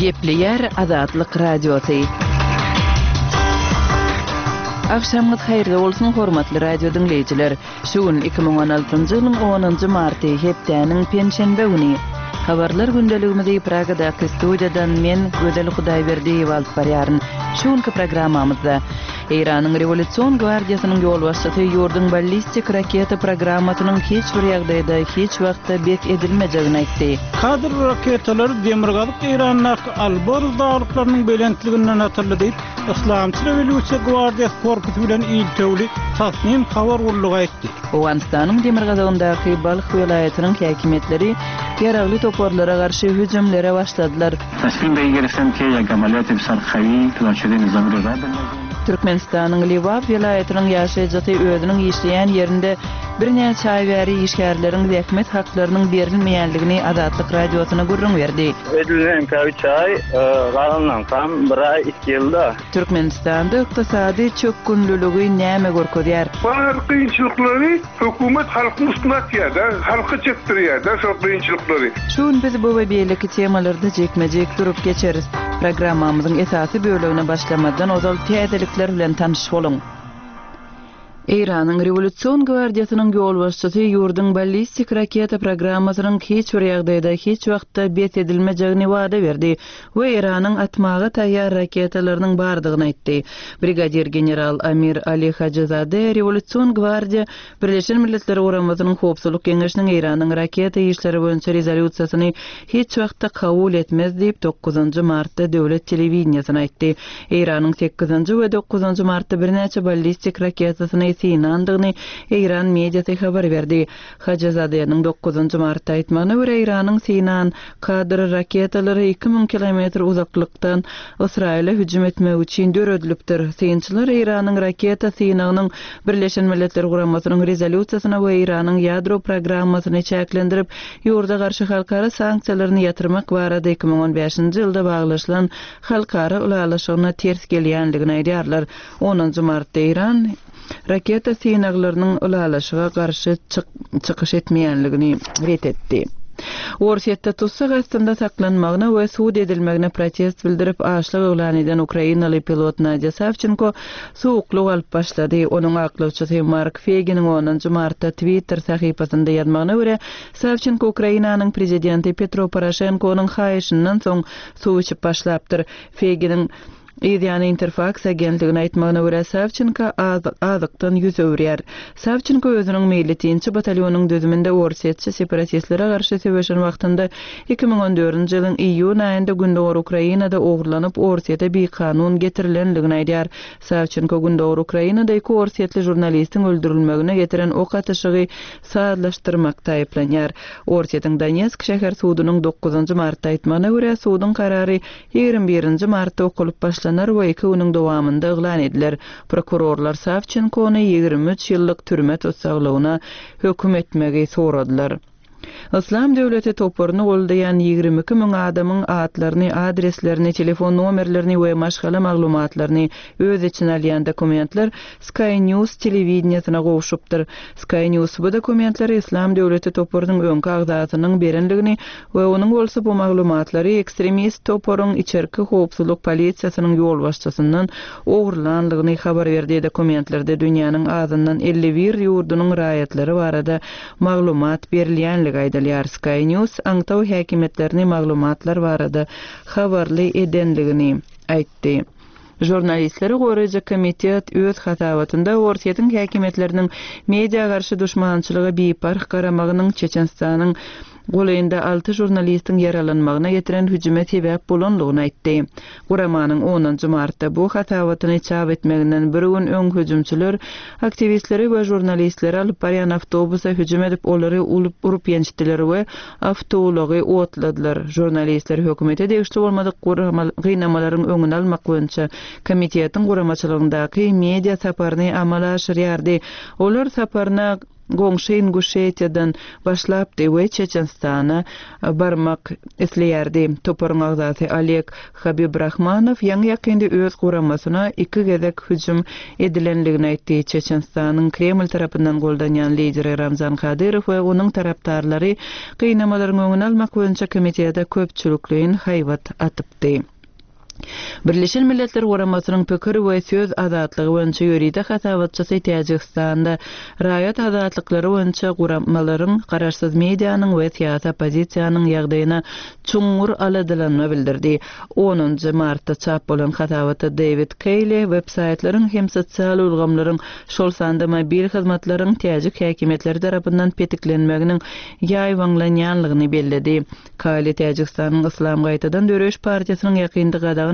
Gepleýär Azatlyk Radiosy. Agşamyňyz haýyrly bolsun, hormatly radio diňleýjiler! Şu gün 2016-njy ýylyň onunjy marty, hepdäniň penşenbe güni. Habarlar gündeligimizi Pragadaky studiýadan men, Gözel Hudaýberdiýewa alyp barýaryn. Şu günki programmamyzda Eýranyň Rewolýusion gwardiýasynyň ýolbaşçysy ýurduň ballistik raketa programmasynyň hiç bir ýagdaýda, hiç wagtda bes edilmejegini aýtdy. Kadr raketalary demirgazyk Eýrandaky Alborz daglyklarynyň belentliginden atyldy diýip, Yslamçy rewolýusiýa gwardiýasy korpusy bilen iltewli Tasnim habar gullugy aýtdy. Owganystanyň demirgazygyndaky Balh welaýatynyň häkimiýetleri ýaragly toparlara garşy hüjümlere başladylar. Türkmenistanyň Lebap welaýatynyň ýaşaýjysy özüniň işleýän ýerinde birnäçe aý bäri işgärleriň zähmet haklarynyň berilmeýändigini Azatlyk Radiosyna gürrüň berdi. Edil meňkä üç aý, galanlaňkam bir aý, iki ýylda. Türkmenistanda ykdysady çökgünliligi näme görkezýär? Bar kynçylyklary hökümet halkyň üstüne atýar-da, halka çekdirýär-de şol kynçylyklary. Şu gün biz bu we beýleki temalarda jikme-jik durup geçeris. Programmamyzyň esasy bölegine başlamazdan ozal täzelikler bilen tanyş boluň. Eýranyň Rewolýusion gwardiýasynyň ýolbaşçysy ýurduň ballistik raketa programmasynyň hiç bir ýagdaýda hiç wagtda bes edilmejegini wada berdi we Eýranyň atmaga taýýar raketalarynyň bardygyny aýtdy. Brigadir general Amir Ali Hajizade Rewolýusion gwardiýa Birleşen Milletler Guramasynyň Howpsuzlyk Geňeşiniň Eýranyň raketa işleri boýunça rezolýusiýasyny hiç wagtda kabul etmez diýip, dokuzynjy martda döwlet telewideniýesine aýtdy. Eýranyň sekizinji we dokuzynjy martda birnäçe ballistik raketasyny synandygyny eýran mediasy habar berdi. Hajizadeniň dokuzynjy martda aýtmagyna görä, Eýranyň synan Kadr raketalary 2000 kilometr uzaklykdan Ysraýyla hüjüm etmek üçin döredilipdir. Synçylar Eýranyň raketa synagynyň Birleşen Milletler Guramasynyň rezolýusiýasyna we Eýranyň ýadro programmasyny çäklendirip, ýurda garşy halkara sanksiýalaryny ýatyrmak barada 2015-nji ýylda baglaşylan halkara ylalaşygyna ters gelýändigini aýdýarlar. Onunjy martda Eýran raketa synaglarynyň ylalaşyga garşy çykyş etmeýänligini ret etdi. Orsýetde tussag astynda saklanmagyna we sud edilmegine protest bildirip, açlyk yglan eden ukrainaly pilot Nadýa Sawçenko suwuklyk alyp başlady. Onuň aklawçysy Mark Feginiň onunjy martda Twitter sahypasynda ýazmagyna görä, Sawçenko Ukrainanyň prezidenti Petro Poroşenkonyň haýyşyndan soň suw içip başlapdyr. Feginiň yz ýany Interfaks agentligine aýtmagyna görä, Sawçenko azykdan ýüz öwürýär. Sawçenko özüniň meýletinçi batalýonyň düzüminde orsýetçi separatistlere garşy söweşen wagtynda 2014-nji ýylyň iýun aýynda gündogar Ukrainada ogurlanyp, Orsýete bikanun getirilendigini aýdýar. Sawçenko gündogar Ukrainada iki orsýetli žurnalistiň öldürilmegine getiren ok atyşygy sazlaşdyrmakda aýyplanýar. Orsýetiň Donetsk şäher sudunyň dokuzynjy martda aýtmagyna görä, suduň karary 21-nji martda okalyp başlanar we iki günüň dowamynda yglan ediler. Prokurorlar Sawçenkony 23 ýyllyk türme tussaglygyna höküm etmegi soradylar. Yslam döwleti toparyny goldaýan 22 müň adamyň atlaryny, adreslerini, telefon nomerlerini we maşgala maglumatlaryny öz içine alýan dokumentler Sky News telewideniýesine gowşupdyr. Sky News bu dokumentleri Yslam döwleti toparynyň öňki agzasynyň berendigini we onuň bolsa bu maglumatlary ekstremist toparyň içerki howpsuzlyk polisiýasynyň ýolbaşçysyndan ogurlandygyny habar berdi. Dokumentlerde dünýäniň azyndan 51 ýurdunyň raýatlary barada maglumat berilýänligi aýdylýar. Sky News aňtaw häkimiýetlerini maglumatlar barada habarly edendigini aýtdy. Žurnalistleri goraýjy komitet öz hasabatynda Orsýetiň häkimiýetleriniň media garşy duşmançylyga biparh garamagynyň Çeçenistanyň golaýynda alty žurnalistiň ýaralanmagyna getiren hüjüme sebäp bolandygyny aýtdy. Guramanyň onunjy martda bu hasabatyny çap etmeginden bir gün öň hüjümçiler aktiwistleri we žurnalistleri alyp barýan awtobusa hüjüm edip, olary urup-ýençdiler we awtoulagy otladylar. Žurnalistler hökümete degişli bolmadyk gynamalaryň öňüni almak boýunça komitetiň guramaçylygyndaky media saparyny amala aşyrýardy. Olar saparyna. goňşy Inguşetiýadan başlapdy we Çeçenistana barmak isleýärdi. Toparyň agzasy Oleg Habibrahmanow ýaňy-ýakynda öz guramasyna iki gezek hüjüm edilendigini aýtdy. Çeçenistanyň Kreml tarapyndan goldanýan lideri Ramzan Kadyrow we onuň tarapdarlary gynamalaryň öňüni almak boýunça komitete köpçülikleýin haýbat atypdy. Birleşen Milletler Guramasynyň pikir we söz azatlygy boýunça ýörite hasabatçysy Täjigistanda raýat azatlyklary boýunça guramalaryň, garaşsyz medianyň we syýasy oppozisiýanyň ýagdaýyna çuňňur aladalanma bildirdi. Onunjy martda çap bolan hasabatda Dewid Keýli websaýtlaryň hem sosial ulgamlaryň, şol sanda mobil hyzmatlaryň täjik häkimiýetleri tarapyndan petiklenmeginiň ýaýbaňlanýanlygyny belledi. Kaýli Täjigistanyň Yslam gaýtadan döreýiş partiýasynyň ýakynda gadagan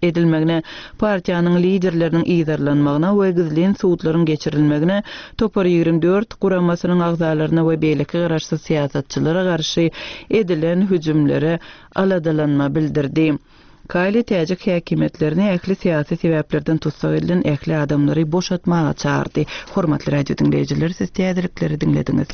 edilmegine, partiýanyň liderleriniň yzarlanmagyna we gizlin sudlaryň geçirilmegine, Topar 24 guramasynyň agzalaryna we beýleki garaşsyz syýasatçylara garşy edilen hüjümlere aladalanma bildirdi. Kaýli täjik häkimiýetlerini ähli syýasy sebäplerden tussag edilen ähli adamlary boşatmaga çagyrdy. Hormatly radio diňleýjiler, siz täzelikleri diňlediňiz.